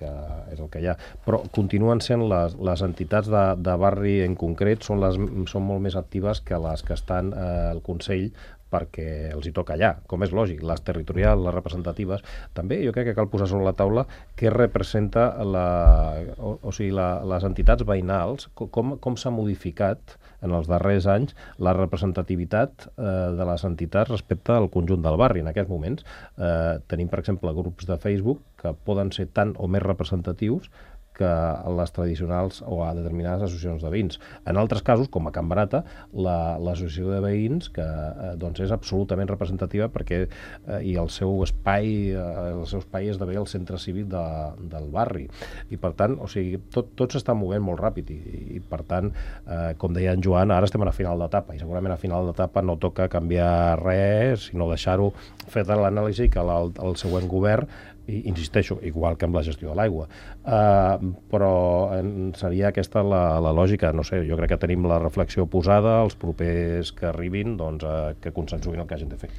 que hi ha. Però continuen sent les entitats de barri en concret, són molt més actives que les que estan al Consell, perquè els hi toca allà, com és lògic, les territorials, les representatives. També jo crec que cal posar sobre la taula què representa les entitats veïnals, com s'ha modificat en els darrers anys la representativitat de les entitats respecte al conjunt del barri. En aquests moments tenim, per exemple, grups de Facebook que poden ser tan o més representatius que les tradicionals o a determinades associacions de veïns. En altres casos, com a Can Barata, l'associació de veïns, que doncs és absolutament representativa perquè i el seu espai esdevé el centre cívic del barri. I per tant, o sigui, tot s'està movent molt ràpid i per tant, com deia en Joan, ara estem a la final d'etapa i segurament a final d'etapa no toca canviar res, sinó deixar-ho fet l'anàlisi que el següent govern, i insisteixo, igual que amb la gestió de l'aigua. Però seria aquesta la lògica. No sé, jo crec que tenim la reflexió posada, els propers que arribin, doncs, que consensuïn el que hagin de fer.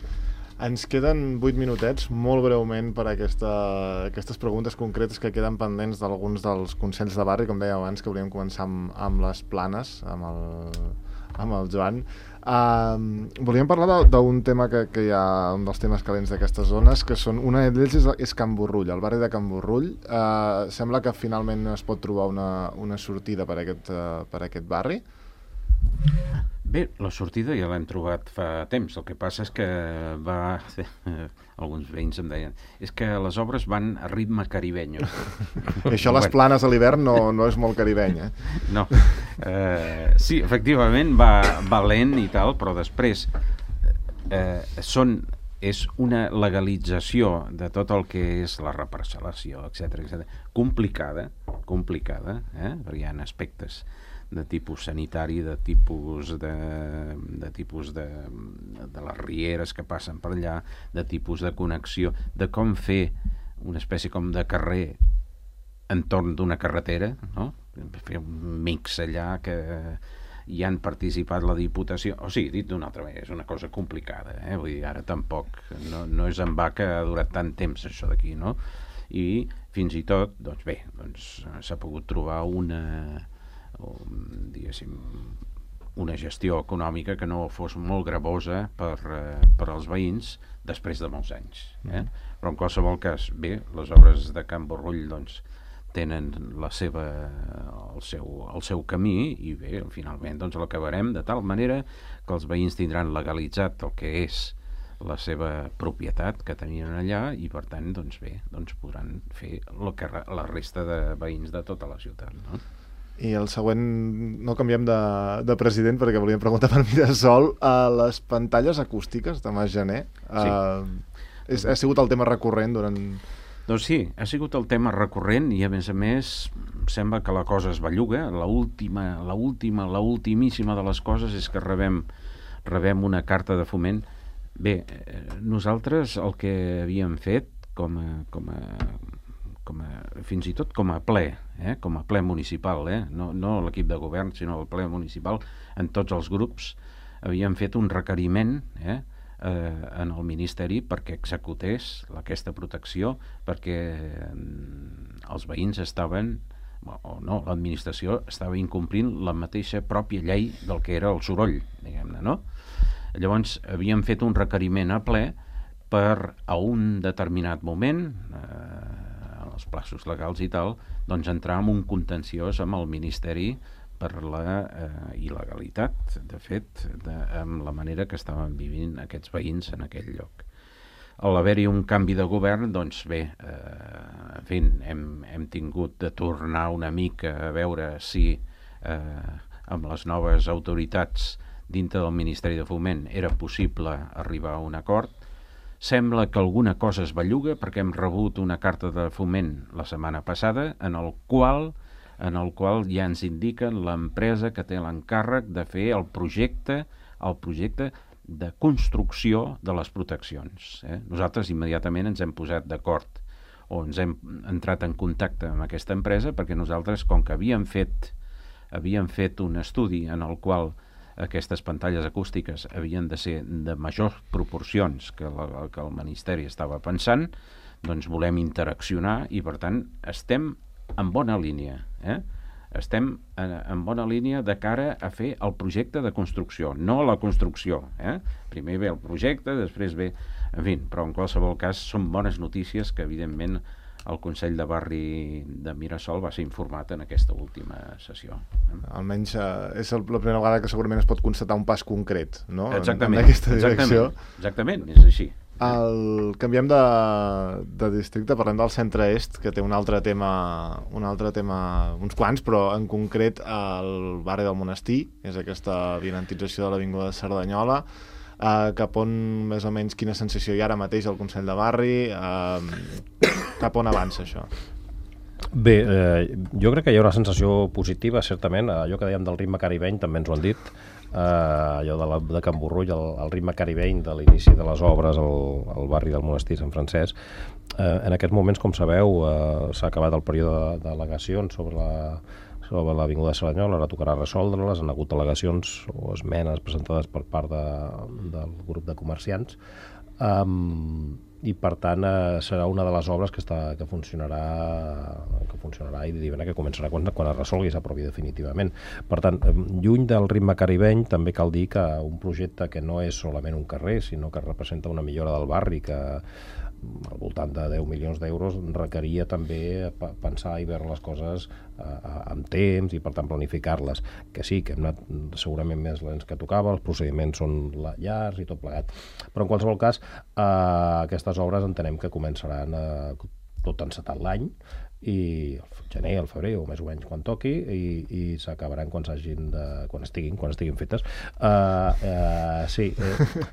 Ens queden 8 minutets, molt breument, per aquestes preguntes concretes que queden pendents d'alguns dels consells de barri, com deia abans, que volíem començar amb les Planes, amb el Joan. Volíem parlar d'un tema que hi ha, un dels temes calents d'aquestes zones, que són, una d'ells és Can Borrull, el barri de Can Borrull. Sembla que finalment es pot trobar una sortida per aquest barri. Bé, la sortida ja l'hem trobat fa temps. El que passa és que alguns veïns em deien, és que les obres van a ritme caribeny. I això les Planes a l'hivern no és molt caribeny, eh? No. Sí, efectivament va lent i tal, però després és una legalització de tot el que és la reparcel·lació, etc. Complicada, perquè hi ha aspectes de tipus sanitari, de tipus de les rieres que passen per allà, de tipus de connexió, de com fer una espècie com de carrer entorn d'una carretera, no? Fer un mix allà que hi han participat la Diputació. O sigui, dit d'una altra manera, és una cosa complicada, vull dir, ara tampoc no és en va que ha durat tant temps això d'aquí, no? I fins i tot, doncs bé, s'ha pogut trobar una gestió econòmica que no fos molt gravosa per als veïns després de molts anys. Però en qualsevol cas, bé, les obres de Can Borrull doncs, tenen el seu camí i bé, finalment doncs, l'acabarem de tal manera que els veïns tindran legalitzat el que és la seva propietat que tenien allà i per tant doncs, bé, doncs podran fer el que la resta de veïns de tota la ciutat, no? I el següent, no canviem de president perquè volíem preguntar per Mirasol, les pantalles acústiques de Mas Janer, sí. Ha sigut el tema recurrent durant... Doncs sí, ha sigut el tema recurrent i a més sembla que la cosa es belluga. L'ultimíssima de les coses és que rebem una carta de foment. Bé, nosaltres el que havíem fet fins i tot com a ple municipal, no l'equip de govern, sinó el ple municipal, en tots els grups, havíem fet un requeriment en el Ministeri perquè executés aquesta protecció, perquè els veïns l'administració estava incomplint la mateixa pròpia llei del que era el soroll, diguem-ne, no? Llavors havíem fet un requeriment a ple per a un determinat moment, els plaços legals i tal, doncs entrar en un contenciós amb el Ministeri per la il·legalitat, de fet, amb la manera que estaven vivint aquests veïns en aquell lloc. Al haver-hi un canvi de govern, doncs bé, en fi, hem tingut de tornar una mica a veure si amb les noves autoritats dintre del Ministeri de Foment era possible arribar a un acord. Sembla que alguna cosa es belluga perquè hem rebut una carta de foment la setmana passada en el qual ja ens indiquen l'empresa que té l'encàrrec de fer el projecte de construcció de les proteccions. Nosaltres immediatament ens hem posat d'acord o ens hem entrat en contacte amb aquesta empresa perquè nosaltres, com que havíem fet un estudi en el qual aquestes pantalles acústiques havien de ser de majors proporcions que el Ministeri estava pensant, doncs volem interaccionar i, per tant, estem en bona línia. Estem en bona línia de cara a fer el projecte de construcció, no la construcció. Primer ve el projecte, després ve... En fi, però en qualsevol cas són bones notícies que, evidentment, el Consell de Barri de Mirasol va ser informat en aquesta última sessió. Almenys és la primera vegada que segurament es pot constatar un pas concret, no? Exactament. En aquesta direcció. Exactament, és així. Canviem de districte, parlem del centre est, que té un altre tema, uns quants, però en concret el barri del Monestir, és aquesta avinentització de l'Avinguda de Cerdanyola, cap on més o menys quina sensació hi ha ara mateix al Consell de Barri, cap on avança això? Bé, jo crec que hi ha una sensació positiva, certament. Allò que dèiem del ritme caribeny també ens ho han dit, allò de Can Borrull, el ritme caribeny de l'inici de les obres al barri del Monestir Sant Francesc. En aquests moments, com sabeu, s'ha acabat el període d'al·legacions sobre l'Avinguda de Cerdanyola, ara tocarà resoldre-les. Han hagut al·legacions o esmenes presentades per part del grup de comerciants, i per tant serà una de les obres que funcionarà i que començarà quan es resolgui i s'aprovi definitivament. Per tant, lluny del ritme caribeny, també cal dir que un projecte que no és solament un carrer, sinó que representa una millora del barri, que al voltant de 10 milions d'euros, requeria també pensar i veure les coses amb temps i per tant planificar-les, que sí, que hem anat segurament més lents que tocava, els procediments són llargs i tot plegat, però en qualsevol cas aquestes obres entenem que començaran tot encetat l'any, i el gener, el febrer o més o menys quan toqui, i s'acabaran quan estiguin fetes.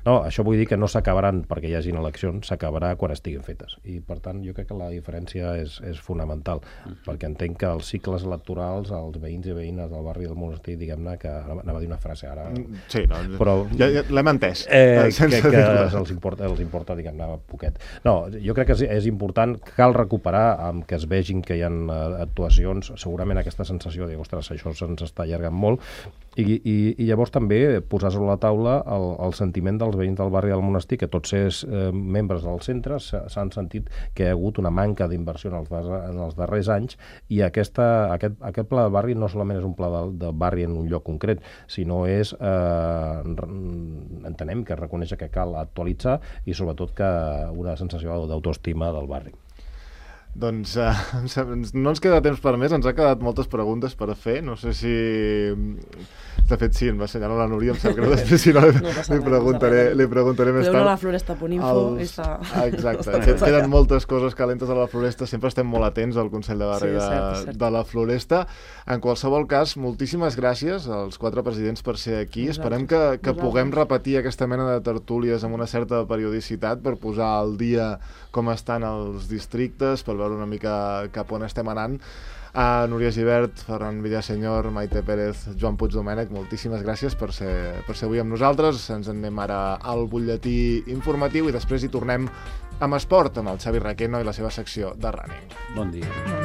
No, això vull dir que no s'acabaran perquè hi hagin eleccions, s'acabarà quan estiguin fetes, i per tant jo crec que la diferència és fonamental, perquè entenc que els cicles electorals, els veïns i veïnes del barri del Monestir, diguem-ne, que anava a dir una frase ara, sí, no, però ja l'hem entès, que els importa diguem-ne, poquet. No, jo crec que és important, cal recuperar amb que es vegin que hi ha actuacions, segurament aquesta sensació de, ostres, això se'ns està allargant molt, i llavors també posar sobre la taula el sentiment dels veïns del barri del Monestir, que tots els membres del centre s'han sentit que hi ha hagut una manca d'inversió en els darrers anys, i aquest pla de barri no solament és un pla de barri en un lloc concret, sinó és, entenem que reconeix que cal actualitzar, i sobretot que una sensació d'autoestima del barri. Doncs no ens queda temps per més, ens ha quedat moltes preguntes per fer, no sé si... De fet, sí, em va assenyalar la Núria, em sap greu, després si no li preguntaré més tard. Podeu anar a la floresta.info. Exacte, queden moltes coses calentes a la Floresta, sempre estem molt atents al Consell de Barri de la Floresta. En qualsevol cas, moltíssimes gràcies als 4 presidents per ser aquí. Esperem que puguem repetir aquesta mena de tertúlies amb una certa periodicitat per posar al dia com estan els districtes, per veure una mica cap on estem anant. Núria Gibert, Ferran Villasenyor, Maite Pérez, Joan Puig Domènech, moltíssimes gràcies per ser avui amb nosaltres. Ens en anem ara al butlletí informatiu i després hi tornem amb esport, amb el Xavi Requeno i la seva secció de running. Bon dia.